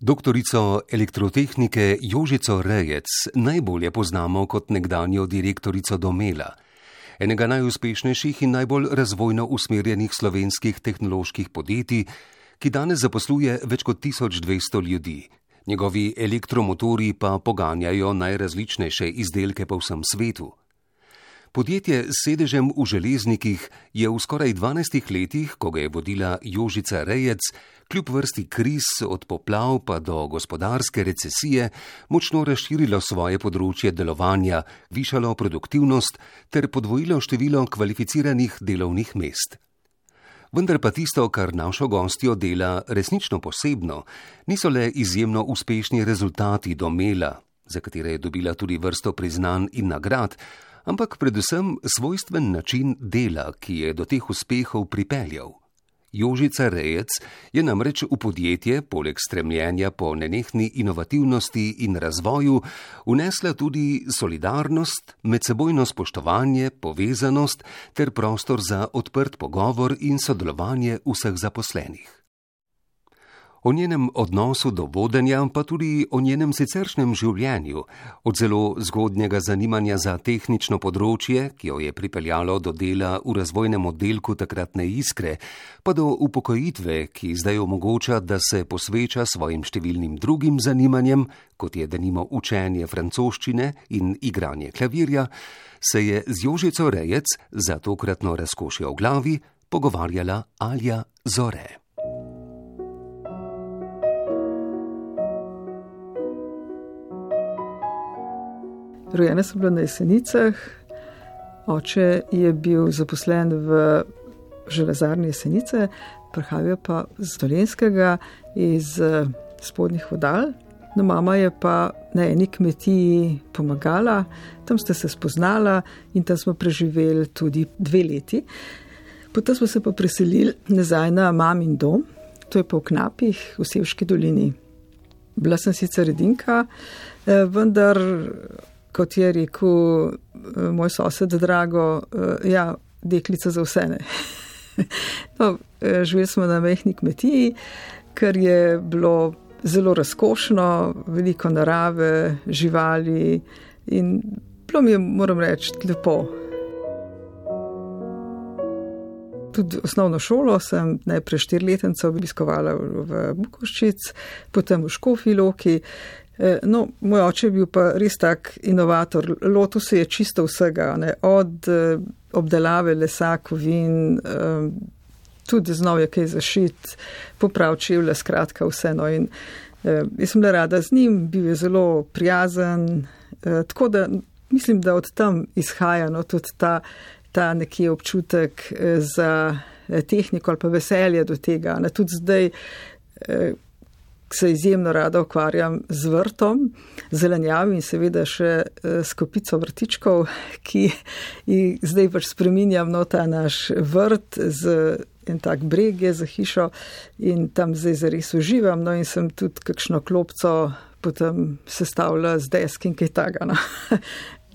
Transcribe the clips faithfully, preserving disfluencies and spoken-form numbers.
Doktorico elektrotehnike Jožico Rejec najbolje poznamo kot nekdanjo direktorico Domela, enega najuspešnejših in najbolj razvojno usmerjenih slovenskih tehnoloških podjetij, ki danes zaposluje več kot tisoč dvesto ljudi. Njegovi elektromotorji pa poganjajo najrazličnejše izdelke po vsem svetu. Podjetje s sedežem v Železnikih je v skoraj dvanajstih letih, ko ga je vodila Jožica Rejec, kljub vrsti kriz od poplav pa do gospodarske recesije, močno razširilo svoje področje delovanja, višalo produktivnost ter podvojilo število kvalificiranih delovnih mest. Vendar pa tisto, kar našo gostjo dela resnično posebno, niso le izjemno uspešni rezultati Domela, za katere je dobila tudi vrsto priznanj in nagrad, ampak predvsem svojstven način dela, ki je do teh uspehov pripeljal. Jožica Rejec je namreč v podjetje, poleg stremljenja po nenehni inovativnosti in razvoju, vnesla tudi solidarnost, medsebojno spoštovanje, povezanost ter prostor za odprt pogovor in sodelovanje vseh zaposlenih. O njenem odnosu do vodenja, pa tudi o njenem siceršnjem življenju, od zelo zgodnjega zanimanja za tehnično področje, ki jo je pripeljalo do dela v razvojnem oddelku takratne Iskre, pa do upokojitve, ki zdaj omogoča, da se posveča svojim številnim drugim zanimanjem, kot je denimo učenje francoščine in igranje klavirja, se je z Jožico Rejec za tokratno razkošje v glavi pogovarjala Alja Zore. Rojena sem bila na Jesenicah, oče je bil zaposlen v železarni Jesenice, prihajal pa z Dolenjskega, iz Spodnjih Vodal. No, mama je pa na eni kmetiji pomagala, tam sta se spoznala in tam smo preživeli tudi dve leti. Potem smo se pa preselili nazaj na mamin dom, to je pa v Knapih, v Sevški dolini. Bila sem sicer edinka, vendar, kot je rekel moj sosed Drago, ja, deklica za vse ne. No, živeli smo na majhni kmetiji, kar je bilo zelo razkošno, veliko narave, živali in bilo mi je, moram reči, lepo. Tudi osnovno šolo sem najprej štiriletenco obiskovala v Bukovščic, potem v Škofji Loki. No, moj oče je bil pa res tak inovator, lotil se je čisto vsega, ne? Od obdelave lesa, kovin, tudi znal je kaj zašit, poprav čevlje, skratka vse. No, in jaz sem bila rada z njim, bil je zelo prijazen, tako da mislim, da od tam izhaja no, tudi ta, ta nekje občutek za tehniko ali pa veselje do tega. Ne? Tudi zdaj se izjemno rada ukvarjam z vrtom, zelenjavi in seveda še s kopico vrtičkov, ki jih zdaj pač spreminjam no, ta naš vrt z en tak breg je za hišo in tam zdaj zares uživam, no in sem tudi kakšno klopco potem sestavila z desk in kaj taga. No.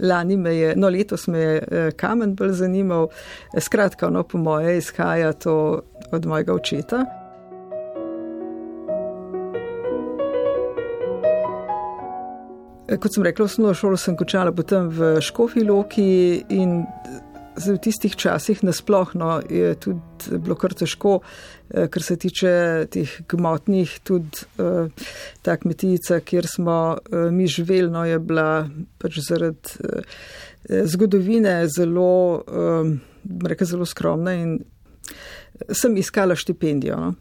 Lani me je, no letos me je kamen bolj zanimal, skratka, no po moje izhaja to od mojega očeta. Kot sem rekla, osnovno šolo sem končala potem v Škofji Loki in v tistih časih nasploh no, je tudi bilo kar težko, kar se tiče teh gmotnih, tudi ta kmetijica, kjer smo mi živeli, no, je bila pač zaradi zgodovine zelo, rekla, zelo skromna in sem iskala štipendijo. No.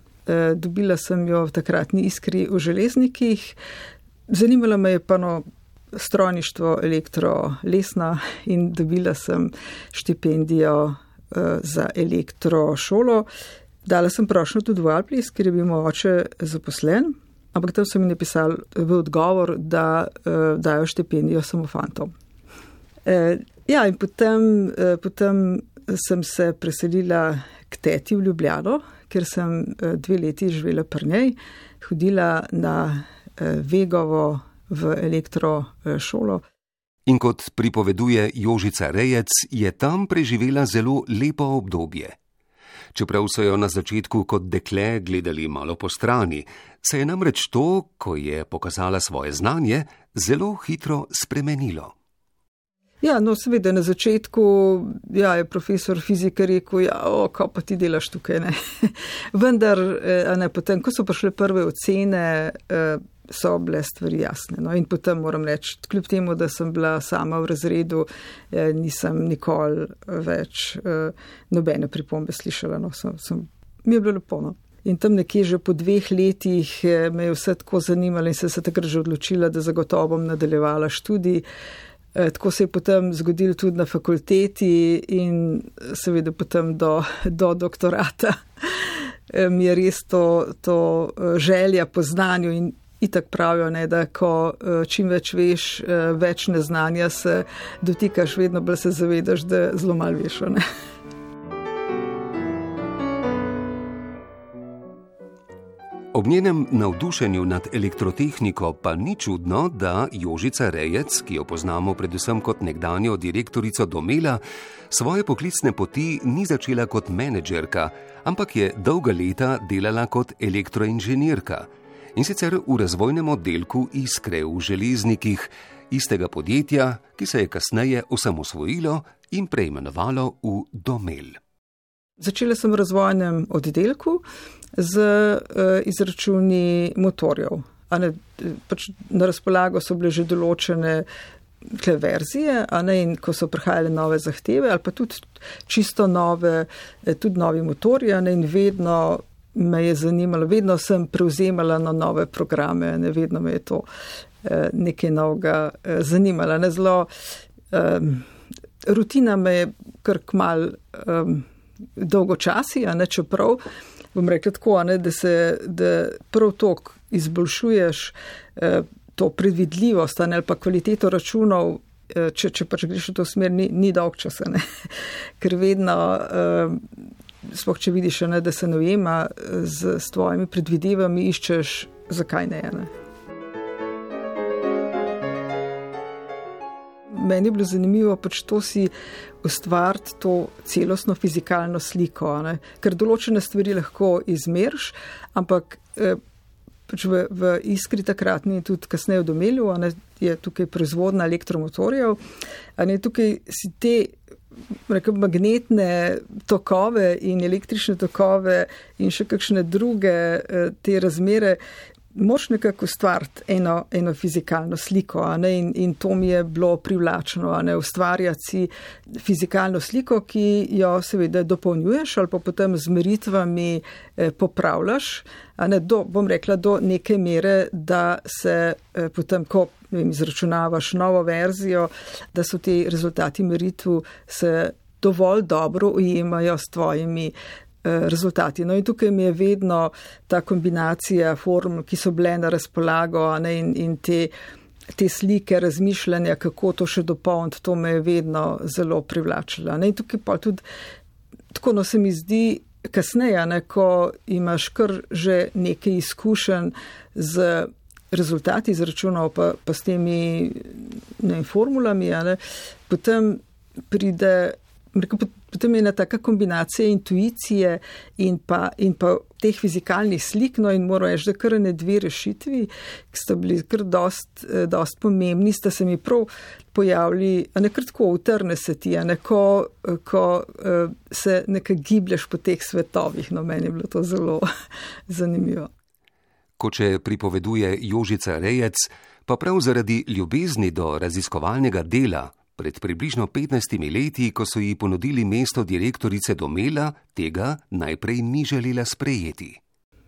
Dobila sem jo v takratni Iskri v Železnikih. Zanimalo me je pa no, strojništvo, elektro, lesna in dobila sem štipendijo uh, za elektro šolo. Dala sem prošnjo tudi v Alplis, ker je bil moj oče zaposlen, ampak tam so mi napisali v odgovor, da uh, dajo štipendijo samo fantom. Uh, ja, in potem, uh, potem sem se preselila k teti v Ljubljano, ker sem uh, dve leti živela pri njej, hodila na Vegovo v elektro šolo. In kot pripoveduje Jožica Rejec, je tam preživela zelo lepo obdobje. Čeprav so jo na začetku kot dekle gledali malo po strani, Se je namreč to, ko je pokazala svoje znanje, zelo hitro spremenilo. Ja, no seveda na začetku ja, je profesor fizike rekel, ja, o, kaj pa ti delaš tukaj, ne. Vendar, ne, potem, ko so prišle prve ocene, so bile stvari jasne. No, in potem moram reči, kljub temu, da sem bila sama v razredu, nisem nikoli več nobene pripombe slišala. No, sem, sem, mi je bilo lepo, no. In tam nekje že po dveh letih me je vse tako zanimalo in sem se takrat že odločila, da zagotovo bom nadaljevala študij. Tako se je potem zgodilo tudi na fakulteti in seveda potem do, do doktorata. Mi je res to, to želja po znanju in itak pravijo, ne, da ko čim več veš, več neznanja se dotikaš, vedno bolj se zavedaš, da zelo malo veš. Ne. Ob njenem navdušenju nad elektrotehniko pa ni čudno, da Jožica Rejec, ki jo poznamo predvsem kot nekdanjo direktorico Domela, svoje poklicne poti ni začela kot menedžerka, ampak je dolga leta delala kot elektroinženirka. In sicer v razvojnem oddelku Iskre v Železnikih, istega podjetja, ki se je kasneje osamosvojilo in preimenovalo v Domel. Začela sem v razvojnem oddelku z uh, izračuni motorjev. A ne, pač na razpolago so bile že določene verzije, a ne, in ko so prihajale nove zahteve, ali pa tudi čisto nove, tudi novi motorji, a ne, in vedno me je zanimalo, vedno sem prevzemala na nove programe, ne, vedno me je to uh, nekaj novega uh, zanimalo. Ne, zelo, um, rutina me je kar kmal um, dolgočasi, a ne, čeprav bom rekla tako, ne, da se da prav tok izboljšuješ eh, to predvidljivost ali pa kvaliteto računov, eh, če, če pač greš v to smer, ni, ni dolg časa, ne. Ker vedno, eh, sploh če vidiš, ne, da se ne ujema z, z tvojimi predvidevami, iščeš, zakaj ne, ne. Meni je bilo zanimivo pač to si ustvariti to celostno fizikalno sliko, ne? Ker določene stvari lahko izmeriš, ampak eh, pač v, v Iskri takratni tudi kasneje v Domelju, ne, je tukaj proizvodna elektromotorjev, a ne, tukaj si te rekel, magnetne tokove in električne tokove in še kakšne druge eh, te razmere moš nekako ustvariti eno, eno fizikalno sliko, a ne, in, in to mi je bilo privlačno, a ne, ustvarjati si fizikalno sliko, ki jo seveda dopolnjuješ ali pa potem z meritvami eh, popravljaš, a ne, do, bom rekla, do neke mere, da se eh, potem, ko ne vem, izračunavaš novo verzijo, da so ti rezultati meritvu se dovolj dobro ujemajo s tvojimi rezultati. No in tukaj mi je vedno ta kombinacija formul, ki so bile na razpolago, ne, in, in te, te slike razmišljanja, kako to še dopolniti, to me je vedno zelo privlačilo. Ne, in tukaj pa tudi, tako no se mi zdi, kasneje, ne, ko imaš kar že nekaj izkušenj z rezultati izračunov, pa, pa s temi ne, formulami, ne, potem pride Potem je ena taka kombinacija intuicije in pa, in pa teh fizikalnih slik, no in moram reči, da kar ne dve rešitvi, ki sta bili kar dost, dost pomembni, sta se mi prav pojavili, a ne kar tako utrne se ti, a ne ko, ko se nekaj giblješ po teh svetovih, no meni je bilo to zelo zanimivo. Kot če pripoveduje Jožica Rejec, pa prav zaradi ljubezni do raziskovalnega dela, pred približno petnajstimi leti, ko so ji ponudili mesto direktorice Domela, tega najprej ni želela sprejeti.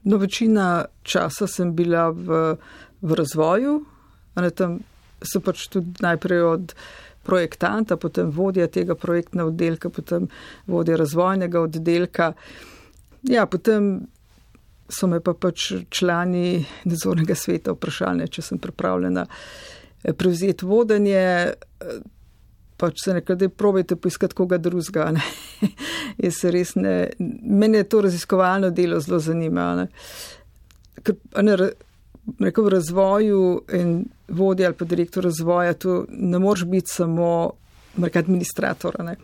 No, večina časa sem bila v, v razvoju, a ne, tam sem pač tudi najprej od projektanta, potem vodja tega projektnega oddelka, potem vodja razvojnega oddelka. Ja, potem so me pa pač člani nadzornega sveta vprašali, če sem pripravljena prevzeti vodenje. Pač se nekaj, da probajte poiskati koga drugega, ne. Jaz se res ne, meni je to raziskovalno delo zelo zanima, ne. Ker, ne, rekel, v razvoju in vodja ali pa direktor razvoja, tu ne moreš biti samo rekel, administrator, ne.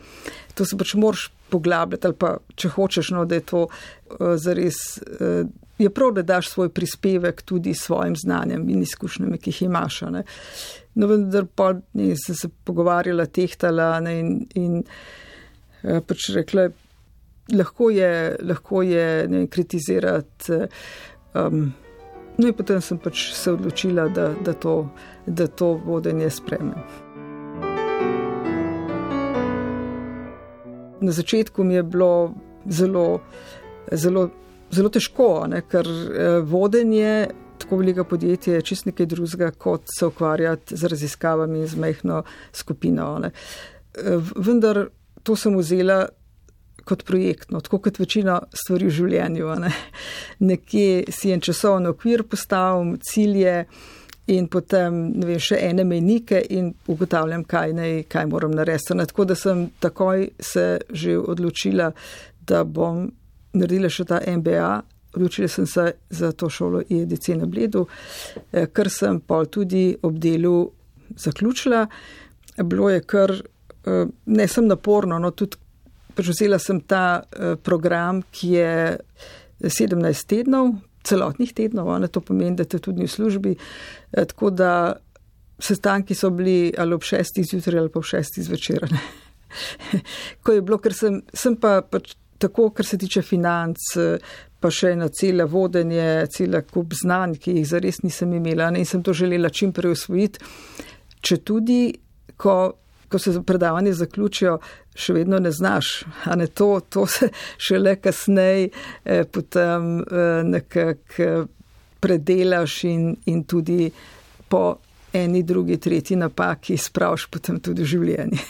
To se pač moraš poglabljati ali pa, če hočeš, no, da je to uh, zares uh, je prav, da daš svoj prispevek tudi s svojim znanjem in izkušnjami, ki jih imaš. Ne. No, vendar pa ne, sem se pogovarjala, tehtala ne, in, in pač rekla, lahko je, lahko je ne, kritizirati. Um, no in potem sem pač se odločila, da, da, to, da to vodenje spremem. Na začetku mi je bilo zelo, zelo, zelo težko, ne, ker vodenje tako veliko podjetje je čist nekaj drugega, kot se ukvarjati z raziskavami z majhno skupino. Ne. Vendar to sem vzela kot projektno, tako kot večina stvari v življenju. Ne. Nekje si en časovni okvir postavim, cilje in potem ne vem, še ene mejnike in ugotavljam, kaj, ne, kaj moram narediti. Tako da sem takoj se že odločila, da bom naredila še ta M B A. Odločila sem se za to šolo I E D C na Bledu, kar sem pol tudi ob delu zaključila. Bilo je kar, ne sem naporno, no tudi vzela sem ta program, ki je sedemnajst tednov, celotnih tednov, ne, to pomeni, da te tudi v službi, tako da sestanki so bili ali ob šestih zjutraj ali pa ob šestih zvečer. Ko je bilo, ker sem, sem pa pač tako, kar se tiče financ, pa še ena cela vodenje, cela kup znanj, ki jih zares nisem imela, ne, in sem to želela čim prej usvojiti, če tudi, ko, ko se predavanje zaključijo, še vedno ne znaš, a ne to, to se šele kasneje eh, potem eh, nekako predelaš in, in tudi po eni, drugi, tretji napaki spraviš potem tudi v življenje.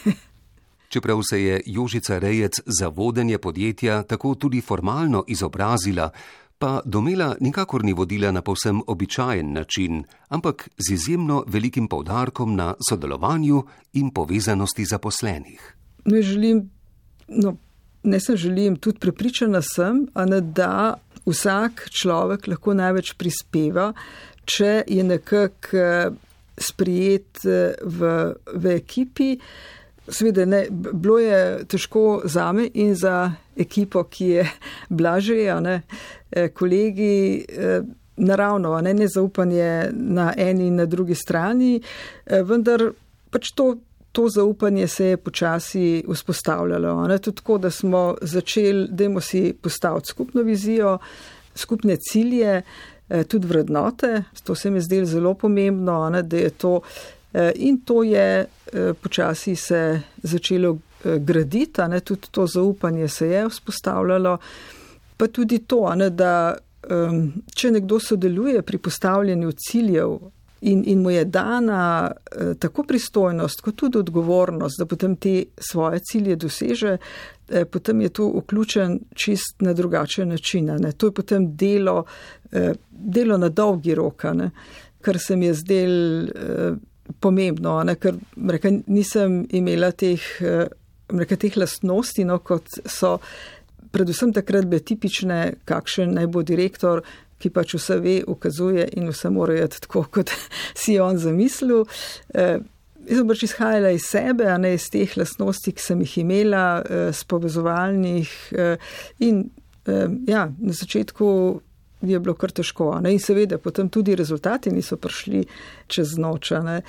Čeprav se je Jožica Rejec za vodenje podjetja tako tudi formalno izobrazila, pa Domela nikakor ni vodila na povsem običajen način, ampak z izjemno velikim poudarkom na sodelovanju in povezanosti zaposlenih. Ne želim, no, ne sem želim, tudi prepričana sem, a ne, da vsak človek lahko največ prispeva, če je nekako sprijet v, v ekipi. Seveda, ne, bilo je težko zame in za ekipo, ki je blaže, ne, kolegi, naravno, ne, nezaupanje na eni in na drugi strani, vendar pač to, to zaupanje se je počasi vzpostavljalo. Ne, tudi tako, da smo začeli, dajmo si postaviti skupno vizijo, skupne cilje, tudi vrednote, to se mi zdelo zelo pomembno, ne, da je to. In to je počasi se začelo graditi, ne, tudi to zaupanje se je vzpostavljalo, pa tudi to, ne, da če nekdo sodeluje pri postavljanju ciljev in, in mu je dana tako pristojnost, kot tudi odgovornost, da potem te svoje cilje doseže, potem je to vključen čist na drugačen način. Ne. To je potem delo, delo na dolgi rok, ne, kar se mi je zdelo pomembno, ne, ker reka, nisem imela teh, reka, teh lastnosti, no, kot so predvsem takrat bile tipične, kakšen naj bo direktor, ki pač vse ve, ukazuje in vse mora jeti tako, kot si je on zamislil. Jaz sem pač izhajala iz sebe, a ne iz teh lastnosti, ki sem jih imela, s povezovalnih in ja, na začetku je bilo kar težko. Ne? In seveda, potem tudi rezultati niso prišli čez noč. Ne?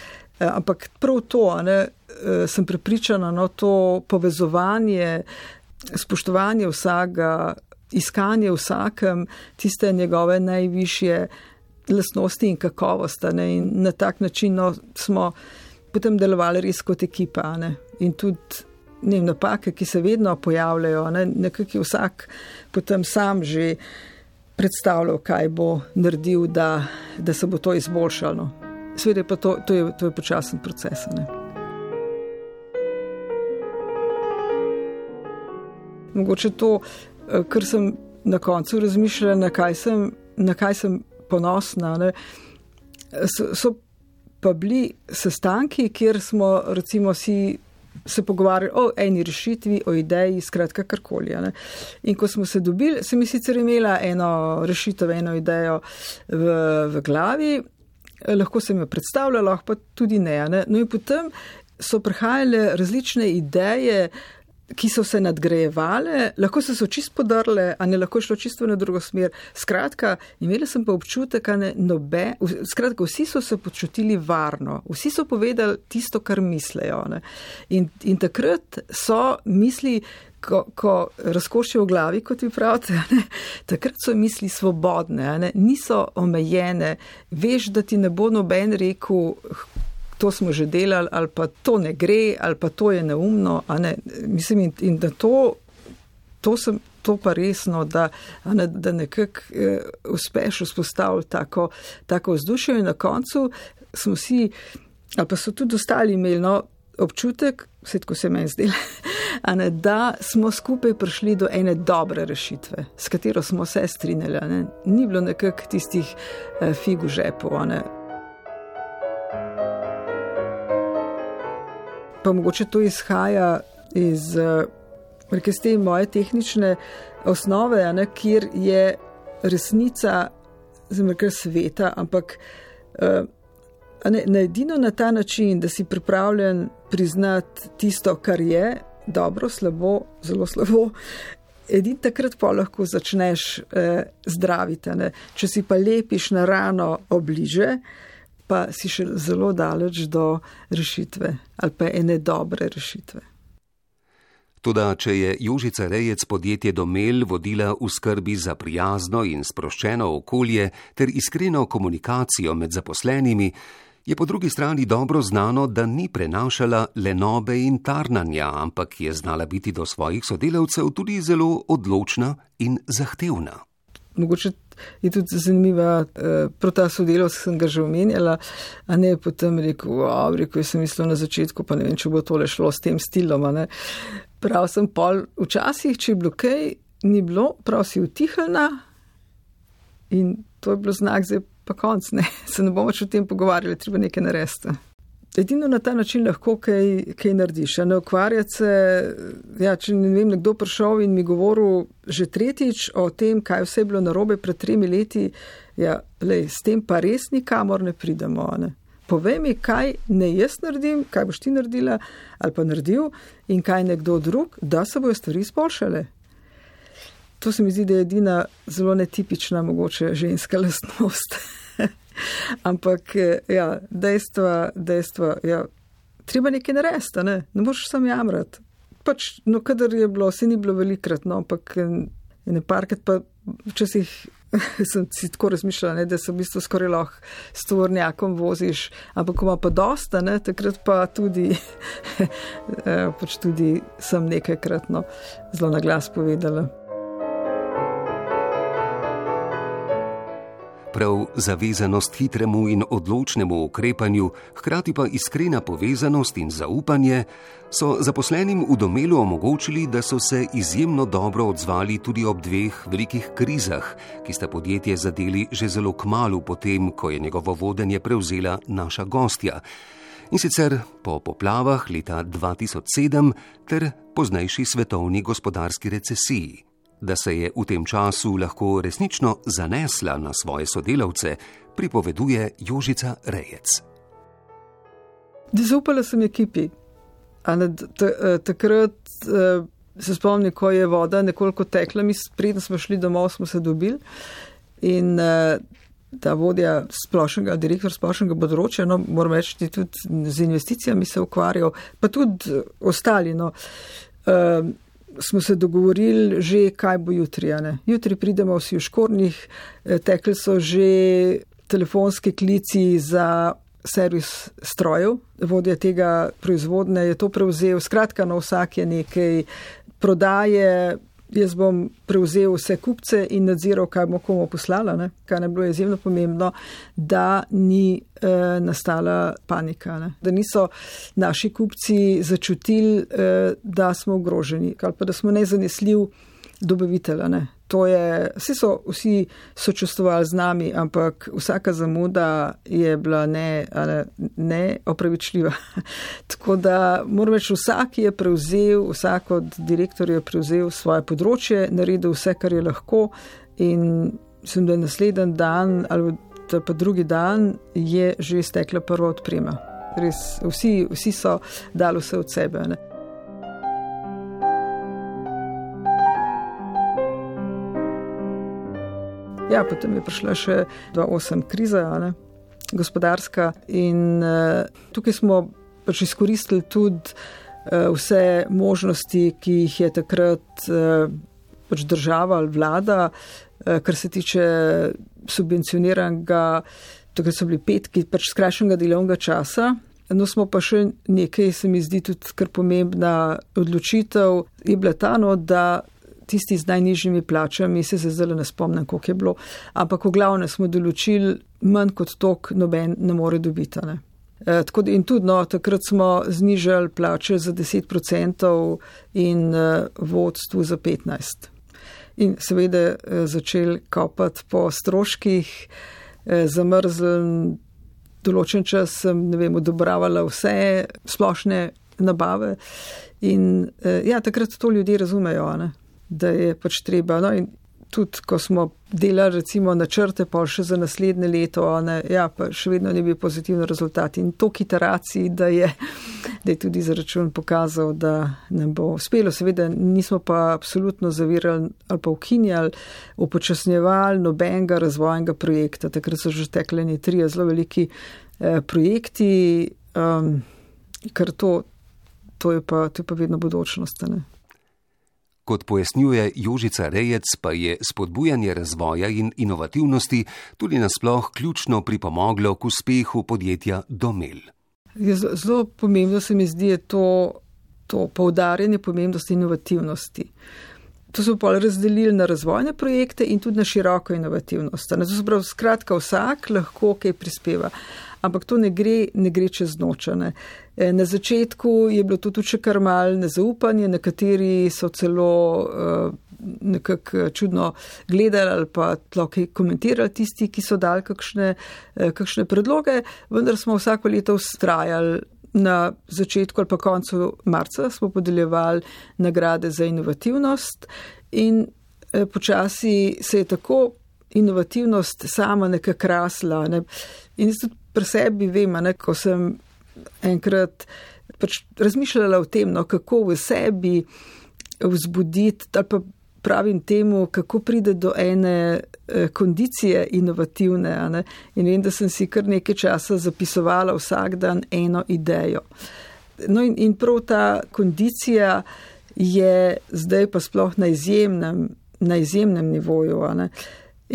Ampak prav to, ne, sem prepričana, no, to povezovanje, spoštovanje vsakega, iskanje vsakem, tiste njegove najvišje lastnosti in kakovosti. Ne? In na tak način, no, smo potem delovali res kot ekipa. Ne? In tudi ne, napake, ki se vedno pojavljajo, ne? Nekako je vsak potem sam že predstavljal, kaj bo naredil, da, da se bo to izboljšalo. Seveda pa to, to, je, to je počasen proces. Ne? Mogoče to, kar sem na koncu razmišljala, na kaj sem, na kaj sem ponosna, ne? So, so pa bili sestanki, kjer smo recimo si se pogovarjali o eni rešitvi, o ideji, skratka karkoli. Ne? In ko smo se dobili, sem sicer imela eno rešitev, eno idejo v, v glavi, lahko sem jo predstavljala, lahko pa tudi ne, ne. No in potem so prihajale različne ideje, ki so se nadgrajevale, lahko so se čisto podrle, a ne lahko šlo čisto na drugo smer. Skratka, imela sem pa občutek, a ne nobe, skratka, vsi so se počutili varno, vsi so povedali tisto, kar mislejo. Ne. In, in takrat so misli, ko, ko razkošijo v glavi, kot vi pravite, ne, takrat so misli svobodne, ne, niso omejene, veš, da ti ne bo noben rekel, to smo že delali, ali pa to ne gre, ali pa to je neumno, a ne, mislim, in, in da to, to sem, to pa resno, da, a ne, da nekako eh, uspeš vzpostaviti tako, tako vzdušje in na koncu smo si, ali pa so tudi ostali imeli, no, občutek, vse tako se meni zdelo, a ne, da smo skupaj prišli do ene dobre rešitve, s katero smo se strinjali, a ne, ni bilo nekako tistih eh, fig v žepu, a ne. Pa mogoče to izhaja iz iz te moje tehnične osnove, ne, kjer je resnica kar sveta, ampak ne, ne edino na ta način, da si pripravljen priznati tisto, kar je dobro, slabo, zelo slabo, edin takrat pa lahko začneš eh, zdraviti. Ne. Če si pa lepiš na rano obliže, pa si še zelo daleč do rešitve ali pa ene dobre rešitve. Toda, če je Jožica Rejec podjetje Domel vodila v skrbi za prijazno in sproščeno okolje ter iskreno komunikacijo med zaposlenimi, je po drugi strani dobro znano, da ni prenašala lenobe in tarnanja, ampak je znala biti do svojih sodelavcev tudi zelo odločna in zahtevna. Mogoče je tudi zanimiva, eh, prav ta sodelavec, sem ga že omenjala, a ne potem rekel, wow, rekel, jaz sem mislil na začetku, pa ne vem, če bo tole šlo s tem stilom, a ne. Prav sem pol, včasih, če je bilo kaj, ni bilo, prav si utihnila in to je bilo znak, zdaj pa konc, ne, se ne bomo več o tem pogovarjali, treba nekaj narediti. Edino na ta način lahko kaj, kaj narediš, a ne ukvarjati se, ja, če ne vem, nekdo prišel in mi govoril že tretjič o tem, kaj vse je bilo narobe pred tremi leti, ja, lej, s tem pa res nikamor ne pridemo, ne. Povej mi, kaj ne jaz naredim, kaj boš ti naredila ali pa naredil in kaj nekdo drug, da se bojo stvari izboljšale. To se mi zdi, da je edina zelo netipična mogoče ženska lastnost. Ampak, ja, dejstva, dejstva, ja, treba nekaj narediti, ne, ne moraš sam jamrati. Pač, no, kadar je bilo, se ni bilo velikrat, no, ampak ne parkrat pa včasih sem si tako razmišljala, ne, da se v bistvu skoraj lahko s tovornjakom voziš, ampak ko ima pa dosta, ne, takrat pa tudi, pač tudi sem nekajkrat, no, zelo na glas povedala. Prav zavezanost hitremu in odločnemu ukrepanju, hkrati pa iskrena povezanost in zaupanje so zaposlenim v Domelu omogočili, da so se izjemno dobro odzvali tudi ob dveh velikih krizah, ki sta podjetje zadeli že zelo kmalu potem, ko je njegovo vodenje prevzela naša gostja. In sicer po poplavah leta dva tisoč sedem ter poznejši svetovni gospodarski recesiji. Da se je v tem času lahko resnično zanesla na svoje sodelavce, pripoveduje Jožica Rejec. Zaupala sem ekipi. Takrat se spomnim, ko je voda nekoliko tekla, mi preden smo šli domov, smo se dobili in ta vodja splošnega, direktor splošnega področja, no, moram reči, tudi z investicijami se ukvarjal, pa tudi ostali, no, smo se dogovorili že, kaj bo jutri, ne. Jutri pridemo vsi v škornjih, tekli so že telefonski klici za servis strojev, vodja tega proizvodne je to prevzel, skratka, na vsak je nekaj prodaje, jaz bom prevzel vse kupce in nadziral, kaj bomo komu poslala, ne. Kaj ne bilo izjemno pomembno, da ni eh, nastala panika, ne. Da niso naši kupci začutili, eh, da smo ogroženi, ali pa da smo nezanesljiv dobavitelj, ne. To je, vsi so vsi sočustvovali z nami, ampak vsaka zamuda je bila ne, ne opravičljiva. Tako da moram reči, vsak je prevzel, vsak od direktorjev je prevzel svoje področje, naredil vse, kar je lahko in mislim, da je naslednji dan ali pa drugi dan je že stekla prva odprema. Res, vsi, vsi so dali vse od sebe, ne. Ja, potem je prišla še dva tisoč osem kriza, ne, gospodarska in uh, tukaj smo pač izkoristili tudi uh, vse možnosti, ki jih je takrat uh, pač država ali vlada, uh, kar se tiče subvencioniranega, takrat so bili petki pač skrajšanega delovnega časa. No, smo pa še nekaj, se mi zdi tudi kar pomembna odločitev, je bila ta, no, da tisti z najnižjimi plačami, se se zdaj ne spomnim, koliko je bilo, ampak v glavne smo določili manj kot tok noben ne more dobiti. Ne. E, tako, in tudi, no, takrat smo znižali plače za deset procentov in uh, vodstvu za petnajst. In seveda uh, začeli kopati po stroških, uh, zamrzli. Določen čas sem, ne vem, odobravala vse splošne nabave in ja, takrat to ljudje razumejo, ne, da je pač treba. No, in tudi, ko smo delali recimo načrte pa še za naslednje leto, ne, ja, pa še vedno ne bi pozitivni rezultati in toliko iteracij, da je, da je tudi zaračun pokazal, da nam bo uspelo. Seveda nismo pa absolutno zavirali ali pa ukinjali, upočasnjevali nobenega razvojnega projekta. Takrat so že tekli ne trije zelo veliki eh, projekti, um, ker to, to, je pa, to je pa vedno bodočnost. Ne? Kot pojasnjuje Jožica Rejec, pa je spodbujanje razvoja in inovativnosti tudi nasploh ključno pripomoglo k uspehu podjetja Domel. Zelo pomembno se mi zdi to, to poudarjanje pomembnosti inovativnosti. To so pa razdelili na razvojne projekte in tudi na široko inovativnost. Skratka, vsak lahko kaj prispeva. Ampak to ne gre, ne gre čez noč. Ne. Na začetku je bilo to tudi še kar malo nezaupanje, nekateri so celo uh, nekako čudno gledali ali pa tlokaj komentirali tisti, ki so dali kakšne, uh, kakšne predloge, vendar smo vsako leto vztrajali. Na začetku ali pa koncu marca smo podeljevali nagrade za inovativnost in eh, počasi se je tako inovativnost sama nekako rasla. Ne. In tudi pri sebi vem, ne, ko sem enkrat pač razmišljala o tem, no, kako v sebi vzbuditi, ali pa pravim temu, kako pride do ene eh, kondicije inovativne. Ne? In vem, da sem si kar nekaj časa zapisovala vsak dan eno idejo. No in, in prav ta kondicija je zdaj pa sploh na izjemnem, na izjemnem nivoju. Ne?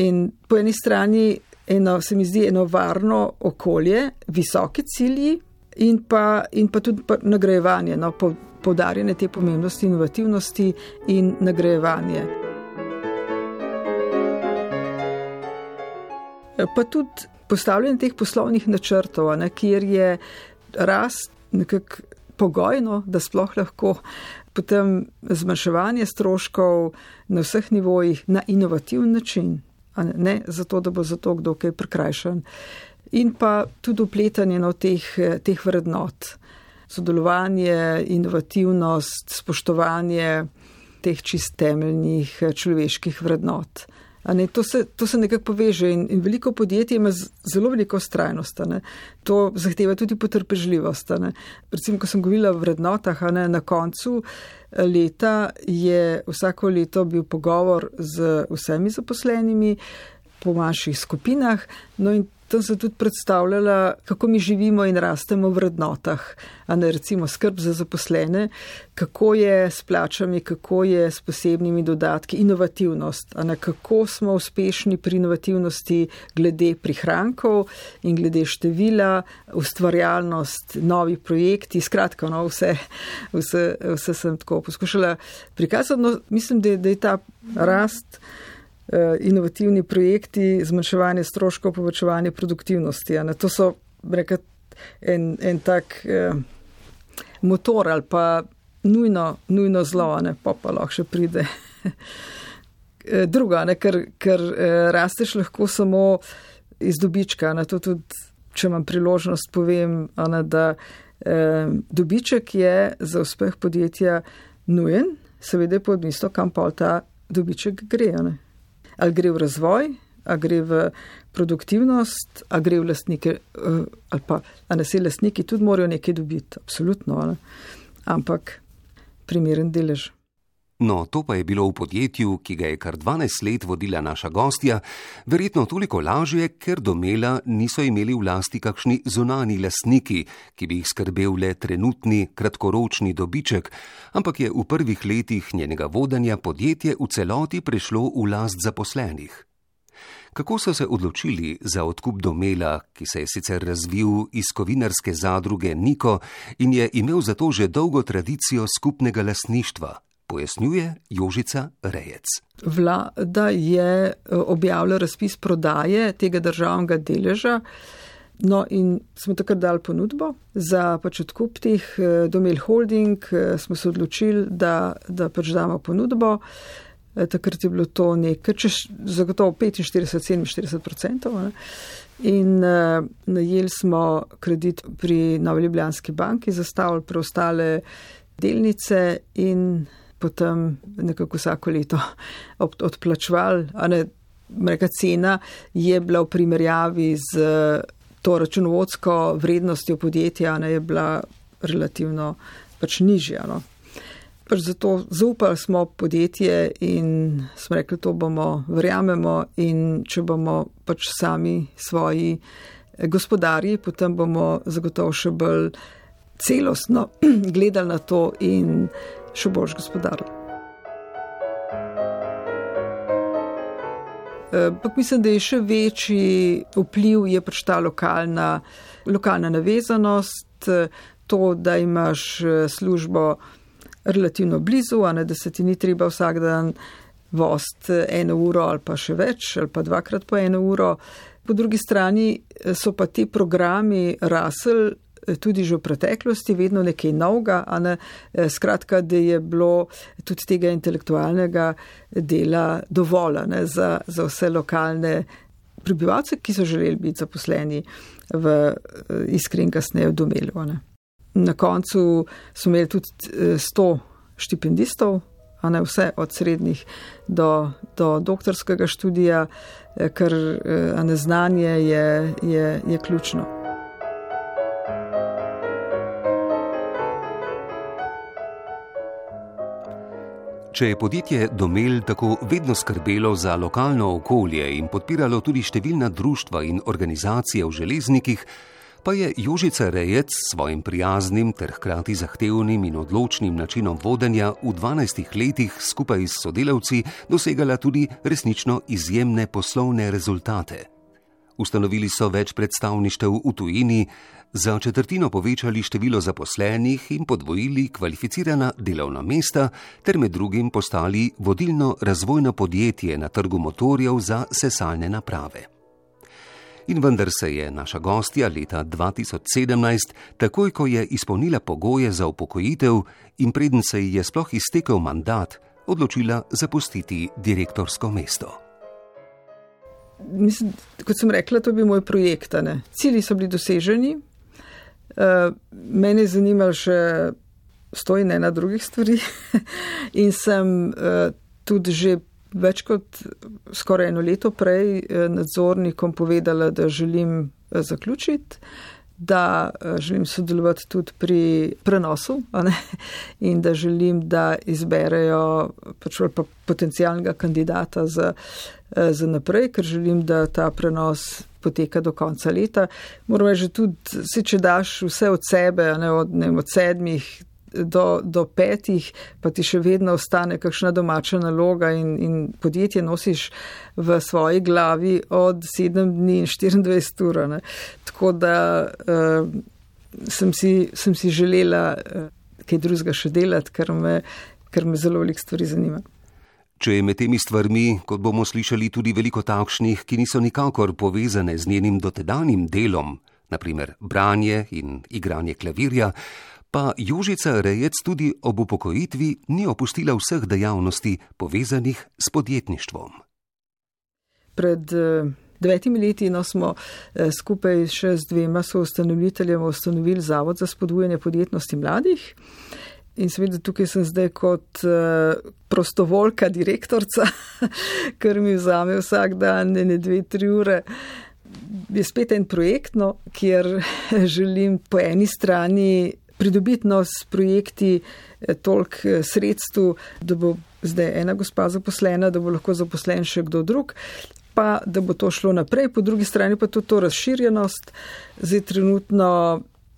In po eni strani eno, se mi zdi eno varno okolje, visoke cilji in pa, in pa tudi pa nagrajevanje, no, po, poudarjanje te pomembnosti inovativnosti in nagrajevanje. Pa tudi postavljanje teh poslovnih načrtov, ne, kjer je rast nekako pogojno, da sploh lahko potem zmanjševanje stroškov na vseh nivojih na inovativen način. Ne zato, da bo zato kdo kaj prikrajšan. In pa tudi upletanje no, teh, teh vrednot. Sodelovanje, inovativnost, spoštovanje teh čist temeljnih človeških vrednot. Ne, to, se, to se nekako poveže in, in veliko podjetij ima zelo veliko vztrajnost. Ne. To zahteva tudi potrpežljivost. Ne. Recimo, ko sem govorila o vrednotah, ne, na koncu leta je vsako leto bil pogovor z vsemi zaposlenimi po manjših skupinah, no in tam se tudi predstavljala, kako mi živimo in rastemo v vrednotah, a ne recimo skrb za zaposlene, kako je s plačami, kako je s posebnimi dodatki, inovativnost, a ne kako smo uspešni pri inovativnosti glede prihrankov in glede števila, ustvarjalnost, novi projekti, skratka, no, vse, vse, vse sem tako poskušala prikazati, no, mislim, da je, da je ta rast, inovativni projekti, zmanjševanje stroškov, povečevanje produktivnosti. Ne? To so rekat, en, en tak eh, motor ali pa nujno, nujno zlo, ne? Pa pa lahko še pride. Druga, ne? ker, ker eh, rasteš lahko samo iz dobička. Ne? To tudi, če imam priložnost, povem, ne, da eh, dobiček je za uspeh podjetja nujen, seveda je pa odvisno, kam pa ta dobiček gre. Ne? Ali gre v razvoj, ali gre v produktivnost, ali gre v lastnike, ali pa, a ne se lastniki tudi morajo nekaj dobiti, absolutno, ne? Ampak primeren delež. No, to pa je bilo v podjetju, ki ga je kar dvanajst let vodila naša gostja, verjetno toliko lažje, ker Domela niso imeli v lasti kakšni zunani lastniki, ki bi jih skrbel le trenutni, kratkoročni dobiček, ampak je v prvih letih njenega vodenja podjetje v celoti prešlo v last zaposlenih. Kako so se odločili za odkup Domela, ki se je sicer razvil iz kovinarske zadruge Niko in je imel zato že dolgo tradicijo skupnega lastništva, pojasnjuje Jožica Rejec. Vlada je objavila razpis prodaje tega državnega deleža, no in smo takrat dali ponudbo za pač odkup teh Domel Holding, smo se odločili, da, da pač damo ponudbo. Takrat je bilo to nekaj, če zagotovo petinštirideset do sedeminštirideset procentov. In uh, najeli smo kredit pri Novi Ljubljanski banki, zastavili preostale delnice in potem nekako vsako leto odplačevali. Neka cena je bila v primerjavi z to računovodsko vrednostjo podjetja, ne, je bila relativno pač nižja. No. Pač zato zaupali smo podjetje in smo rekli, to bomo, verjamemo, in če bomo pač sami svoji gospodarji, potem bomo zagotovo še bolj celostno gledali na to in še bolj gospodarili. Pak mislim, da je še večji vpliv je pač ta lokalna, lokalna navezanost, to, da imaš službo relativno blizu, a ne, da se ti ni treba vsak dan vozt eno uro ali pa še več, ali pa dvakrat po eno uro. Po drugi strani so pa ti programi rasli tudi že v preteklosti, vedno nekaj novega, a ne, skratka, da je bilo tudi tega intelektualnega dela dovolj, ne, za, za vse lokalne prebivalce, ki so želeli biti zaposleni v Iskri in kasneje v Domelu. Ne. Na koncu smo imeli tudi sto štipendistov, a ne, vse od srednjih do, do doktorskega študija, ker a ne, znanje je, je, je ključno. Če je podjetje Domel tako vedno skrbelo za lokalno okolje in podpiralo tudi številna društva in organizacije v železnikih, pa je Jožica Rejec s svojim prijaznim ter hkrati zahtevnim in odločnim načinom vodenja v dvanajstih letih skupaj s sodelavci dosegala tudi resnično izjemne poslovne rezultate. Ustanovili so več predstavništev v tujini, za četrtino povečali število zaposlenih in podvojili kvalificirana delovna mesta ter med drugim postali vodilno razvojno podjetje na trgu motorjev za sesalne naprave. In vendar se je naša gostja leta dva tisoč sedemnajst, takoj ko je izpolnila pogoje za upokojitev in preden se ji je sploh iztekel mandat, odločila zapustiti direktorsko mesto. Mislim, kot sem rekla, to bi moj projekt. Ne? Cilji so bili doseženi. Uh, mene je zanimalo še sto in ena drugih stvari in sem uh, tudi že več kot skoraj eno leto prej uh, nadzornikom povedala, da želim uh, zaključiti, da uh, želim sodelovati tudi pri prenosu, a ne? In da želim, da izberejo pač pa potencialnega kandidata za, uh, za naprej, ker želim, da ta prenos poteka do konca leta. Moram reči, tudi si, če daš vse od sebe, ne, od, ne, od sedmih do, do petih, pa ti še vedno ostane kakšna domača naloga in, in podjetje nosiš v svoji glavi od sedem dni in štiriindvajset ur. Ne. Tako da uh, sem, si, sem si želela uh, kaj drugega še delati, ker me, ker me zelo veliko stvari zanima. Če je med temi stvarmi, kot bomo slišali, tudi veliko takšnih, ki niso nikakor povezane z njenim dotedanjim delom, naprimer branje in igranje klavirja, pa Jožica Rejec tudi ob upokojitvi ni opustila vseh dejavnosti povezanih s podjetništvom. Pred devetimi leti no, smo skupaj še z dvema soustanoviteljema ustanovili Zavod za spodbujanje podjetnosti mladih. In seveda tukaj sem zdaj kot uh, prostovoljka direktorca, ker mi vzame vsak dan ne dve, tri ure. Je spet en projekt, no, kjer želim po eni strani pridobitno s projekti toliko sredstv, da bo zdaj ena gospa zaposlena, da bo lahko zaposlen še kdo drug, pa da bo to šlo naprej. Po drugi strani pa tudi to razširjenost. Zdaj trenutno,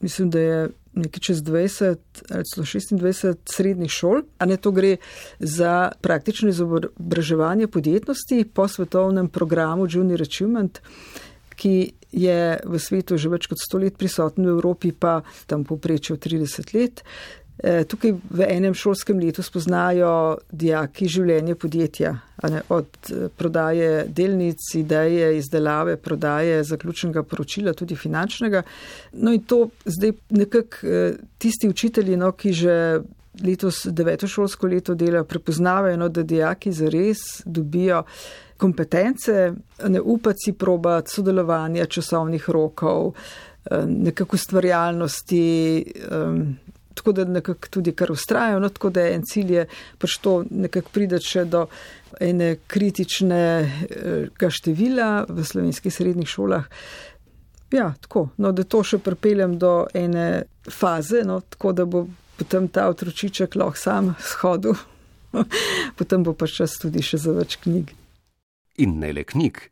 mislim, da je nekaj čez dvajset ali celo šestindvajset srednjih šol, a ne to gre za praktično izobraževanje podjetnosti po svetovnem programu Junior Achievement, ki je v svetu že več kot sto let prisoten, v Evropi pa tam povprečje trideset let. Tukaj v enem šolskem letu spoznajo dijaki življenje podjetja, ne, od prodaje delnic, ideje, izdelave, prodaje, zaključnega poročila, tudi finančnega. No in to zdaj nekako tisti učitelji, no, ki že letos deveto šolsko leto dela, prepoznavajo, no, da dijaki zares dobijo kompetence, ne upati si probati sodelovanja, časovnih rokov, nekako ustvarjalnosti, tako da nekako tudi kar ustrajajo, no, tako da en cilj je pač to nekako pride še do ene kritičnega števila v slovenskih srednjih šolah. Ja, tako, no, da to še pripeljem do ene faze, no, tako da bo potem ta otročiček lahko sam shodil, potem bo pač čas tudi še za več knjig. In ne le knjig.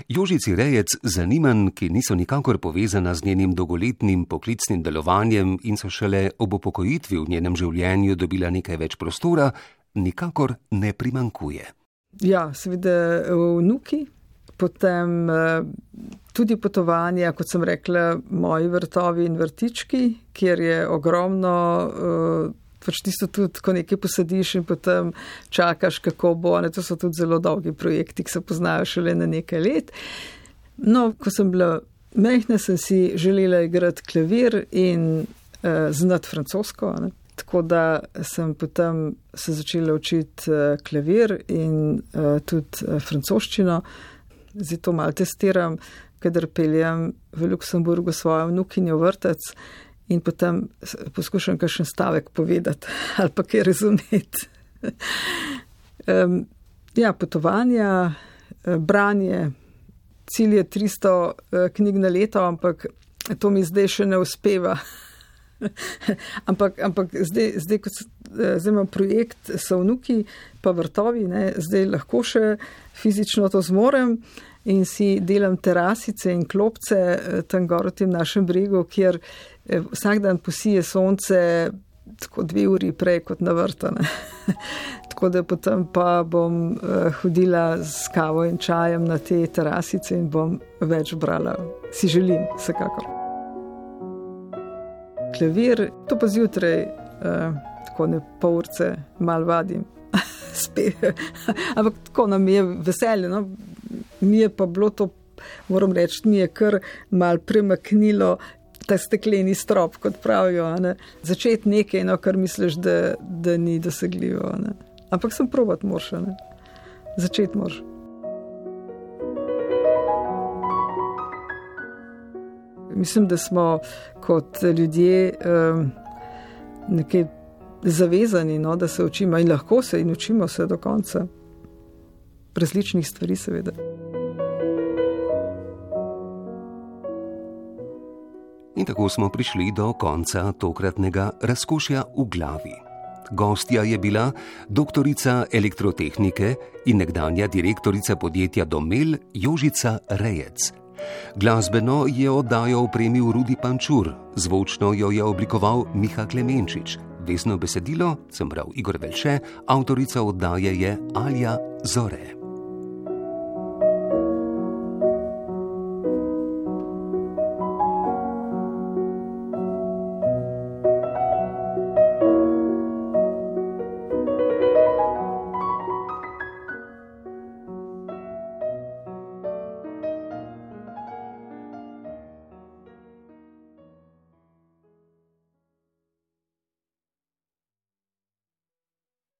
Jožici Rejec zanimanj, ki niso nikakor povezana z njenim dolgoletnim poklicnim delovanjem in so šele ob upokojitvi v njenem življenju dobila nekaj več prostora, nikakor ne primanjkuje. Ja, seveda vnuki, potem tudi potovanja, kot sem rekla, moji vrtovi in vrtički, kjer je ogromno, pač tisto tudi, ko nekaj posadiš in potem čakaš, kako bo, ne, to so tudi zelo dolgi projekti, ki se poznajo šele na nekaj let. No, ko sem bila majhna, sem si želela igrati klavir in uh, znati francosko, ne. Tako da sem potem se začela učiti uh, klavir in uh, tudi uh, francoščino. Zdaj to malo testiram, kadar peljem v Luksemburgu svojo vnukinjo vrtec, in potem poskušam kakšen stavek povedati ali pa kaj razumeti. um, ja, potovanja, branje, cilj je tristo knjig na leto, ampak to mi zdaj še ne uspeva. ampak ampak zdaj, zdaj, kot zdaj imam projekt, so vnuki pa vrtovi, ne, zdaj lahko še fizično to zmorem in si delam terasice in klopce tam gor v tem našem bregu, kjer vsak dan posije sonce tako dve uri prej kot na vrtu. Tako da potem pa bom hodila s kavo in čajem na te terasice in bom več brala. Si želim, vsekakor. Klavir, to pa zjutraj, tako ne pol urce, malo vadim. Ampak tako nam je veselje, no. Mi je pa bilo to, moram reči, mi je kar malo premaknilo ta stekleni strop, kot pravijo, ne. Začeti nekaj, no, kar misliš, da, da ni dosegljivo, ne. Ampak sem probati moraš, ne. Začeti moraš. Mislim, da smo kot ljudje um, nekaj zavezani, no, da se učimo in lahko se in učimo se do konca. Različnih stvari, seveda. In tako smo prišli do konca tokratnega Razkošja v glavi. Gostja je bila doktorica elektrotehnike in nekdanja direktorica podjetja Domel Jožica Rejec. Glasbeno je oddajo opremil Rudi Pančur, zvočno jo je oblikoval Miha Klemenčič, vesno besedilo sem bral Igor Velše, avtorica oddaje je Alja Zore.